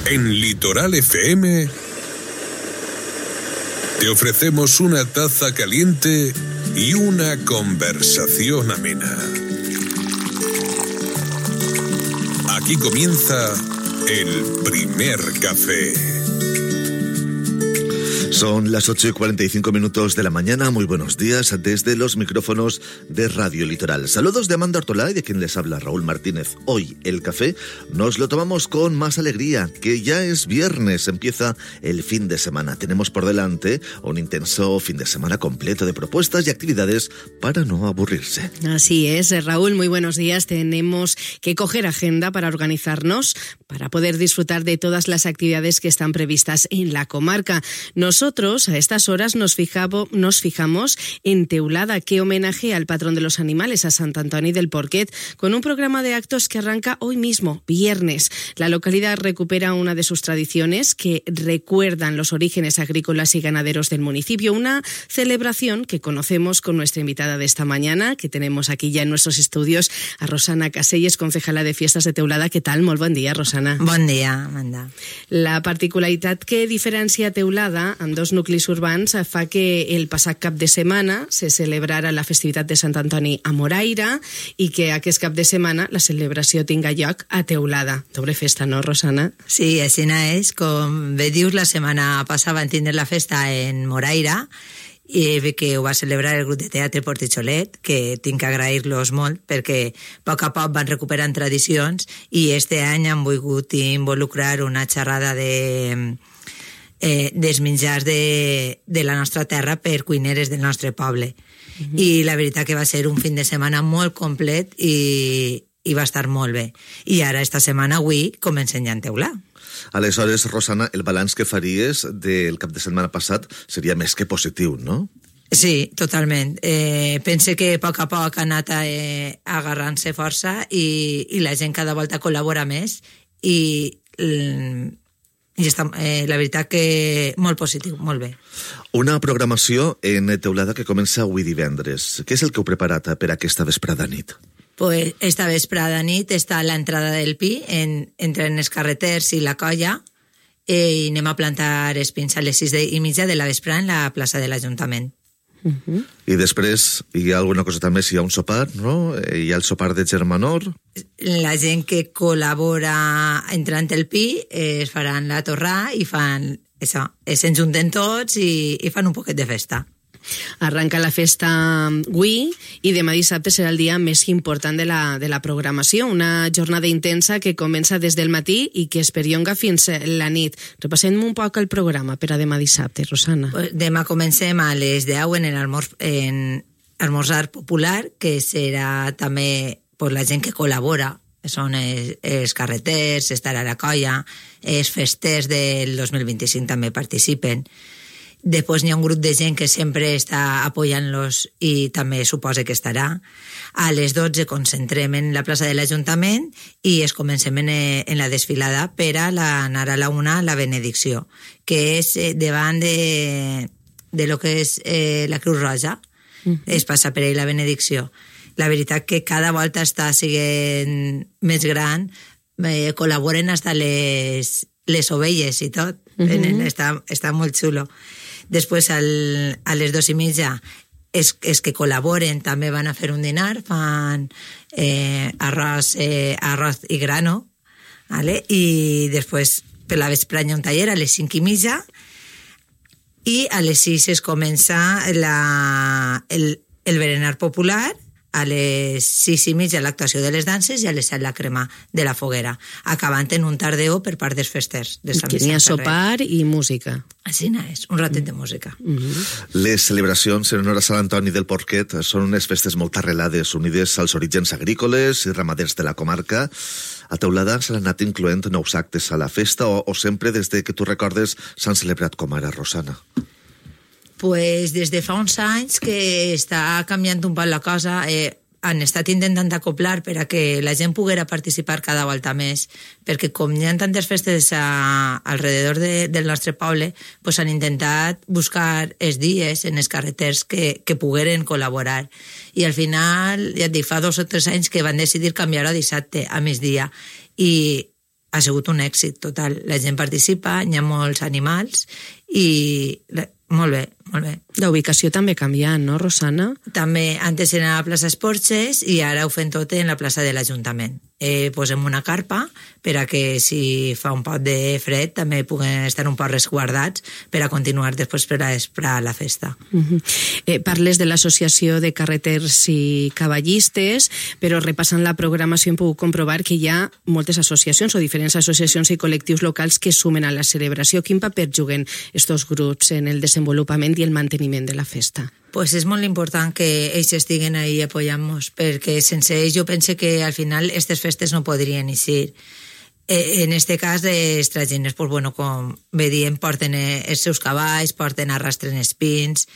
En Litoral FM te ofrecemos una taza caliente y una conversación amena. Aquí comienza el primer café. Son las 8:45 de la mañana. Muy buenos días desde los micrófonos de Radio Litoral. Saludos de Amanda Ortolá y de quien les habla, Raúl Martínez. Hoy el café nos lo tomamos con más alegría, que ya es viernes, empieza el fin de semana. Tenemos por delante un intenso fin de semana completo de propuestas y actividades para no aburrirse. Así es, Raúl, muy buenos días. Tenemos que coger agenda para organizarnos, para poder disfrutar de todas las actividades que están previstas en la comarca. Nosotros a estas horas nos fijamos en Teulada, que homenaje al patrón de los animales, a Sant Antoni del Porquet, con un programa de actos que arranca hoy mismo, viernes. La localidad recupera una de sus tradiciones que recuerdan los orígenes agrícolas y ganaderos del municipio, una celebración que conocemos con nuestra invitada de esta mañana, que tenemos aquí ya en nuestros estudios, a Rosana Caselles, concejala de Fiestas de Teulada. ¿Qué tal? Molt bon dia, Rosana. Bon dia, Amanda. La particularitat que diferencia Teulada en dos nuclis urbans fa que el passat cap de setmana se celebrara la festivitat de Sant Antoni a Moraira i que aquest cap de setmana la celebració tinga lloc a Teulada. Doble festa, no, Rosana? Sí, així és. Com bé dius, la setmana passada van tindre la festa en Moraira i que ho va celebrar el grup de teatre Portitxolet, que tinc que agrair-los molt perquè a poc van recuperant tradicions i este any han volgut involucrar una xerrada dels menjars de la nostra terra per cuineres del nostre poble. I la veritat que va ser un fin de setmana molt complet i va estar molt bé. I ara, esta setmana, avui, comencem ja en Teulà. Aleshores, Rosana, el balanç que faries del cap de setmana passat seria més que positiu, no? Sí, totalment. Pense que a poc ha anat agarrant-se força i la gent cada volta col·labora més i està, la veritat que molt positiu, molt bé. Una programació en Teulada que comença avui divendres. Què és el que heu preparat per aquesta vesprada nit? Pues esta vesprada nit està l'entrada del Pi entre els carreters i la colla i anem a plantar espins a les 6:30 de la vesprada en la plaça de l'Ajuntament. I després hi ha alguna cosa també, si hi ha un sopar, no? Hi ha el sopar de germanor. La gent que col·labora entrant el Pi es faran la torrà i fan això, s'enjunten tots i fan un poquet de festa. Arranca la festa avui i demà dissabte serà el dia més important de la programació, una jornada intensa que comença des del matí i que es perllonga fins la nit. Repassem un poc el programa per a demà dissabte, Rosana. Pues demà comencem a les 10 en esmorzar popular, que serà també per la gent que col·labora. Són els carreters, estarà la colla, els festers del 2025 també participen. Després n'hi ha un grup de gent que sempre està apoyant-los i també suposa que estarà. A les 12 concentrem en la plaça de l'Ajuntament i es comencem en la desfilada per a anar a la 1 la benedicció, que és davant de lo que és la Creu Roja. Es passa per ahí la benedicció. La veritat que cada volta està sent més gran, col·laboren fins les ovelles i tot. Està molt xulo. Després, a les 2:30, els que col·laboren també van a fer un dinar, fan arròs i grano, ¿vale? I després, per la vesprada hi ha un taller a les 5:30 i a les 6 es comença el berenar popular, a les 6:30 l'actuació de les danses i a les 7 la crema de la foguera, acabant en un tardeo per part dels festers de Sant Vicent Ferrer. Que n'hi ha sopar i música. Així és, un ratet de música. Les celebracions en honor a Sant Antoni del Porquet són unes festes molt arrelades, unides als orígens agrícoles i ramaders de la comarca. A Teulada s'han anat incloent nous actes a la festa o sempre des que tu recordes s'han celebrat com ara, Rosana? Pues des de fa uns anys que està canviant un poc la cosa, han estat intentant acoplar per a que la gent poguera participar cada volta més, perquè com hi ha tantes festes alrededor del nostre poble, pues han intentat buscar els dies en els carreters que pogueren col·laborar. I al final, ja et dic, fa 2 o 3 anys que van decidir canviar a dissabte, a migdia, i ha sigut un èxit total. La gent participa, hi ha molts animals i molt bé, molt bé. La ubicació també ha canviat, no, Rosana? També, antes era a la plaça Esporxes i ara ho fem tot en la plaça de l'Ajuntament. Posem una carpa per a que si fa un poc de fred també puguen estar un poc resguardats per a continuar després per a la festa. Parles de l'Associació de Carreters i Cavallistes, però repassant la programació hem pogut comprovar que hi ha moltes associacions o diferents associacions i col·lectius locals que sumen a la celebració. Quin paper juguen estos grups en el desenvolupament i el manteniment de la festa? Pues és molt important que ells estiguen ahí apoyant-nos, perquè sense ells jo penso que al final aquestes festes no podrien eixir. En este cas, les tragines, pues bueno, com bé diem, porten els seus cavalls, arrastren espins,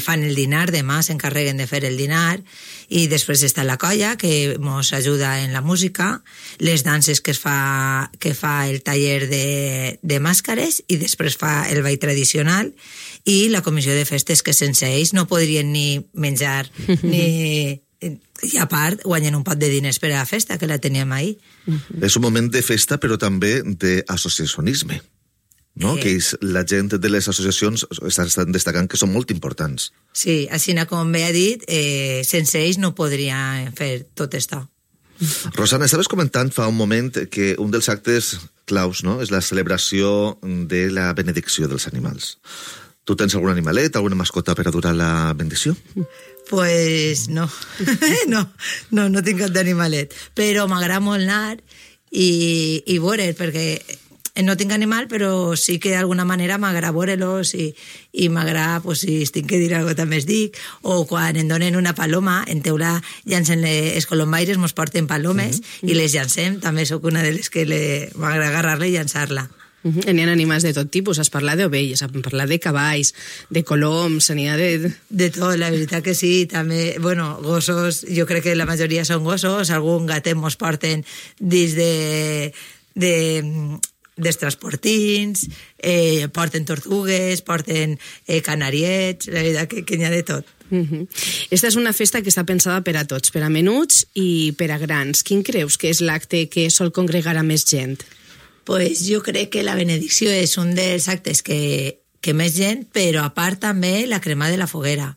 fan el dinar, demà s'encarreguen de fer el dinar, i després està la colla, que ens ajuda en la música, les danses que fa el taller de màscares, i després fa el ball tradicional, i la comissió de festes, que sense ells no podrien ni menjar, ni... I a part guanyen un pot de diners per a la festa, que la teníem ahir. És un moment de festa, però també d'associacionisme, no? Que la gent de les associacions estan destacant que són molt importants. Sí, així com bé ha dit, sense ells no podria fer tot això. Rosana, estaves comentant fa un moment que un dels actes claus, no?, és la celebració de la benedicció dels animals. Tu tens algun animalet, alguna mascota per a durar la bendició? Pues no, no tinc cap d'animalet, però m'agrada molt anar i veure, perquè no tinc animal, però sí que d'alguna manera m'agrada veure-los i m'agrada, pues, si tinc que dir alguna cosa també es dic, o quan em donen una paloma, en teula llancen els colombaires, mos porten palomes i les llancem, també sóc una de les que m'agrada agarrar-la i llançar-la. N'hi ha animals de tot tipus, has parlat d'ovelles, has parlat de cavalls, de coloms, n'hi ha de... De tot, la veritat que sí, també, bueno, gossos, jo crec que la majoria són gossos, algun gatet mos porten dins dels transportins, porten tortugues, porten canariets, la veritat que n'hi ha de tot. Esta és una festa que està pensada per a tots, per a menuts i per a grans. Quin creus que és l'acte que sol congregar a més gent? Pues jo crec que la benedicció és un dels actes que més gent, però a part també la crema de la foguera.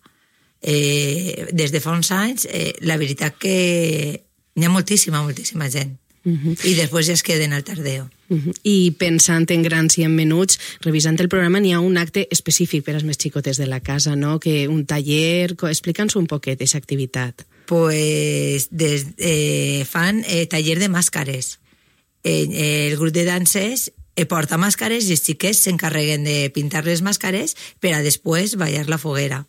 Des de fa uns anys, la veritat que hi ha moltíssima gent. I després ja es queden al tardeo. I pensant en grans i en menuts, revisant el programa, n'hi ha un acte específic per als més xicotes de la casa, no? Que un taller... Explica'ns un poquet aquesta activitat. Pues fan taller de màscares. El grup de danses porta màscares i els xiquets s'encarreguen de pintar les màscares per a després ballar la foguera.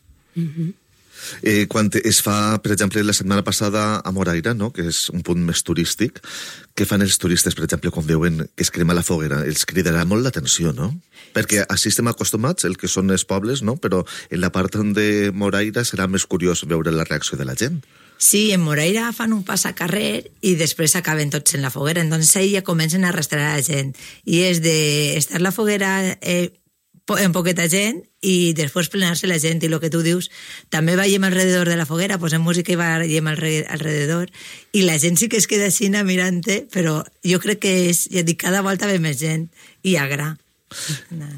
Quan es fa, per exemple, la setmana passada a Moraira, no?, que és un punt més turístic, què fan els turistes, per exemple, quan veuen que es crema la foguera? Els cridarà molt l'atenció, no? Perquè així estem acostumats, el que són els pobles, no? Però en la part de Moraira serà més curiós veure la reacció de la gent. Sí, en Moraira fan un pas a carrer i després acaben tots en la foguera, entonces ahí ja comencen a arrastrar a la gent. I és d'estar la foguera en poqueta gent i després plenar-se la gent, i el que tu dius, també ballem alrededor de la foguera, posem música i ballem alrededor, i la gent sí que es queda així mirant-te, però jo crec que és, ja dic, cada volta ve més gent i agrada.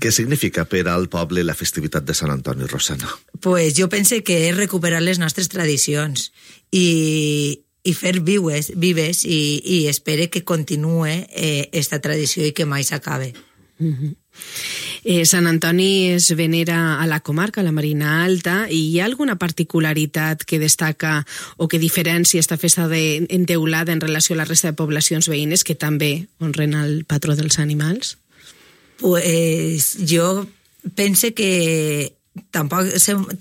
Què significa per al poble la festivitat de Sant Antoni, Rosana? Pues jo penso que és recuperar les nostres tradicions i fer vives i espero que continue esta tradició i que mai s'acabe. Sant Antoni es venera a la comarca, a la Marina Alta, i hi ha alguna particularitat que destaca o que diferencia esta festa enteulada en relació a la resta de poblacions veïnes que també honren el patró dels animals? Pues jo pense que tampoc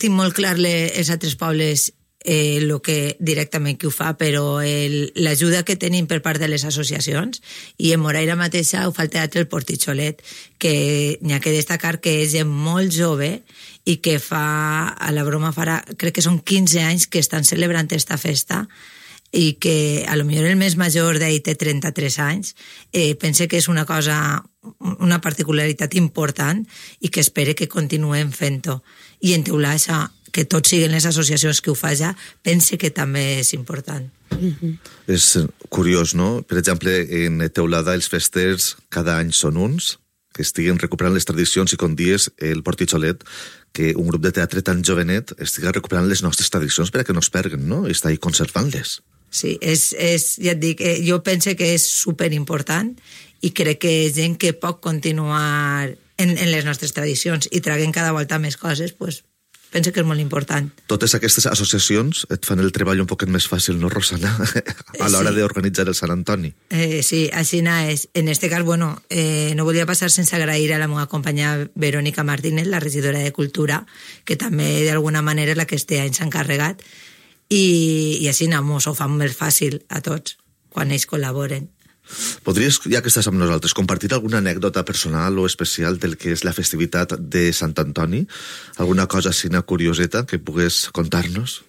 tinc molt clar els altres pobles el que directament que ho fa, però l'ajuda que tenim per part de les associacions, i en Moraira mateixa ho fa el Teatre El Portitxolet, que n'hi ha que destacar que és gent molt jove i que fa, a la broma farà, crec que són 15 anys que estan celebrant esta festa, i que a lo millor el més major d'ahir té 33 anys, pense que és una cosa, una particularitat important i que espere que continuem fent-ho. I en teular això, que tots siguin les associacions que ho fa ja, pense que també és important. És curiós, no? Per exemple, en Teulada els festers cada any són uns, que estiguen recuperant les tradicions, i com dies el Portitxolet, que un grup de teatre tan jovenet estiga recuperant les nostres tradicions perquè no es perguen, no? I està ahí conservant-les. Sí, ja et dic, jo penso que és superimportant i crec que és gent que pot continuar en les nostres tradicions i traguen cada volta més coses, doncs penso que és molt important. Totes aquestes associacions et fan el treball un poquet més fàcil, no, Rosana? A l'hora d'organitzar el Sant Antoni. Sí, així és. En este cas, no volia passar sense agrair a la meva companya Verónica Martínez, la regidora de Cultura, que també d'alguna manera és la que este any s'ha encarregat, i així mos ho fan més fàcil a tots quan ells col·laboren. Podries, ja que estàs amb nosaltres, compartir alguna anècdota personal o especial del que és la festivitat de Sant Antoni? Alguna cosa així, una curioseta que pugues contar-nos?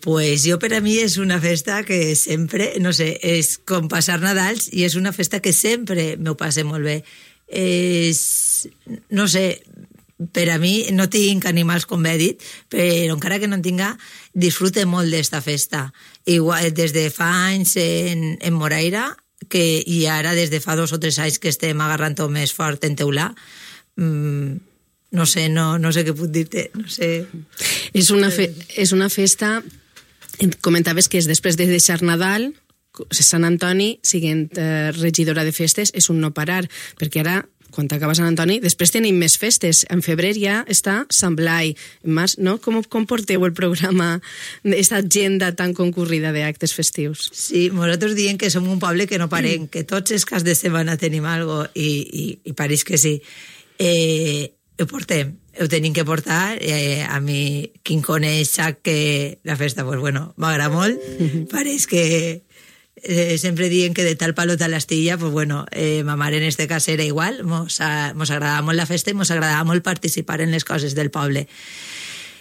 Pues jo, per a mi, és una festa que sempre, no sé, és com passar Nadals i és una festa que sempre m'ho passe molt bé. No sé, per a mi no tinc animals, com he dit, però encara que no en tinga, disfrute molt d'esta festa. Igual, des de fa anys en Moraira, i ara des de fa 2 o 3 anys que estem agarrant-ho més fort en Teulà, no sé què puc dir-te, no sé. És una festa, comentaves que és després de deixar Nadal, Sant Antoni, siguent regidora de festes, és un no parar, perquè ara, quan acaba Sant Antoni, després tenim més festes. En febrer ja està Sant Blai. En març, no? Com porteu el programa, aquesta agenda tan concurrida d'actes festius? Sí, nosaltres diem que som un poble que no parem, que tots els caps de setmana tenim alguna cosa, i pareix que sí. Ho portem, ho tenim que portar. A mi, qui em coneix sap que la festa, m'agrada molt. Pareix que sempre diuen que de tal palo tal astilla, ma mare en este cas era igual, mos agradava molt la festa i mos agradava molt participar en les coses del poble.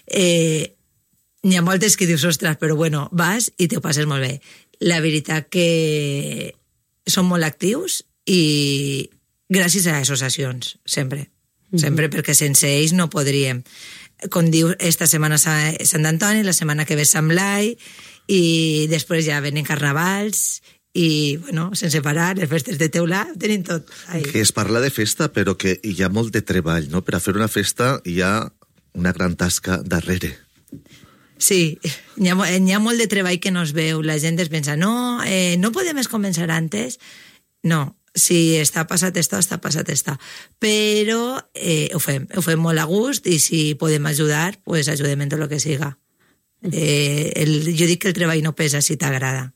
N'hi ha moltes que dius, ostres, però vas i t'ho passes molt bé. La veritat que són molt actius i gràcies a associacions, sempre, perquè sense ells no podríem. Com diu, esta setmana Sant Antoni, la setmana que ve Sant Blai, i després ja venen carnavals i, sense parar, les festes de Teulà, tenim tot. Que es parla de festa, però que hi ha molt de treball, no? Per a fer una festa hi ha una gran tasca darrere. Sí, hi ha molt de treball que no es veu. La gent es pensa, no podem començar antes. No, si està passat esto, està passat esto. Però ho fem molt a gust i si podem ajudar, pues ajudem en tot el que siga. Jo dic que el treball no pesa si t'agrada.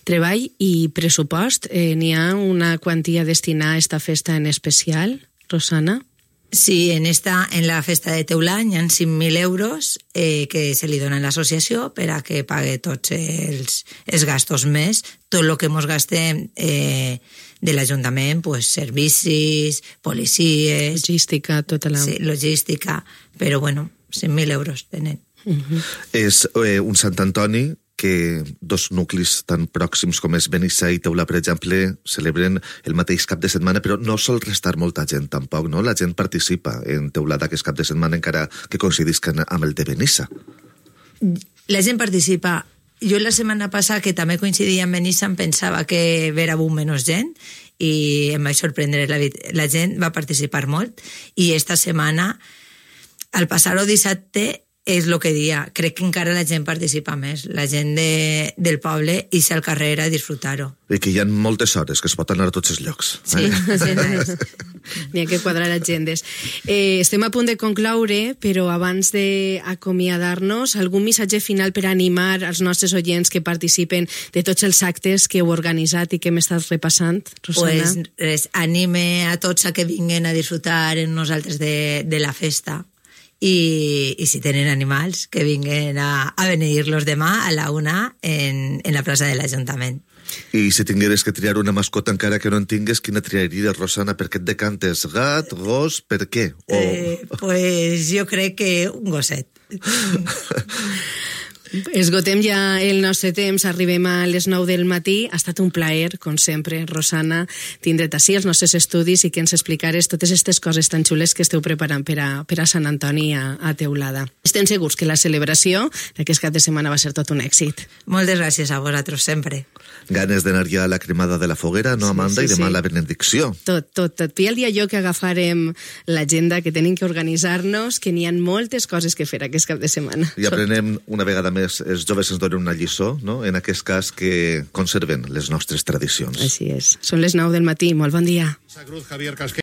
Treball i pressupost, n'hi ha una quantia destinada a esta festa en especial, Rosana? Sí, en la festa de Teulà hi ha 5.000 euros que se li donen a l'associació per a que pague tots els gastos més, tot el que ens gastem de l'Ajuntament, servicis, policies... Logística, tota la... Sí, logística, però 5.000 euros tenen. És un Sant Antoni que 2 nuclis tan pròxims com és Benissa i Teulà, per exemple, celebren el mateix cap de setmana, però no sol restar molta gent tampoc, no? La gent participa en Teulà d'aquest cap de setmana encara que coincidisquen amb el de Benissa. La gent participa. Jo la setmana passada, que també coincidia amb Benissa, em pensava que vera menys gent i em vaig sorprendre. La gent va participar molt i esta setmana, al passar-ho dissabte, és el que dia. Crec que encara la gent participa més, la gent del poble, i ser al carrer a disfrutar-ho. I que hi ha moltes hores, que es pot anar a tots els llocs. Sí, n'hi ha que quadrar agendes. Estem a punt de concloure, però abans d'acomiadar-nos, algun missatge final per animar els nostres oients que participen de tots els actes que heu organitzat i que hem estat repassant, Rosana? Pues anime a tots a que vinguen a disfrutar amb nosaltres de la festa. I si tenen animals, que vinguen a beneir-los demà a la 1 en la plaça de l'Ajuntament. I si tingueres que triar una mascota encara que no en tingues, quina triaries, Rosana? Per què et decantes? Gat, gos, per què? Pues jo crec que un gosset. Esgotem ja el nostre temps, arribem a les 9 del matí. Ha estat un plaer, com sempre, Rosana, tindre't ací als nostres estudis i que ens explicares totes aquestes coses tan xules que esteu preparant per a Sant Antoni a Teulada. Estem segurs que la celebració d'aquest cap de setmana va ser tot un èxit. Moltes gràcies a vosaltres sempre. Ganes d'anar ja a la cremada de la foguera, no, Amanda? Sí, I demà sí. la benedicció. Tot. I el dia jo que agafarem l'agenda, que tenim que organitzar-nos, que n'hi ha moltes coses que fer aquest cap de setmana. I aprenem una vegada més, els joves ens donen una lliçó, no? En aquest cas, que conserven les nostres tradicions. Així és. Són les 9 del matí. Molt bon dia.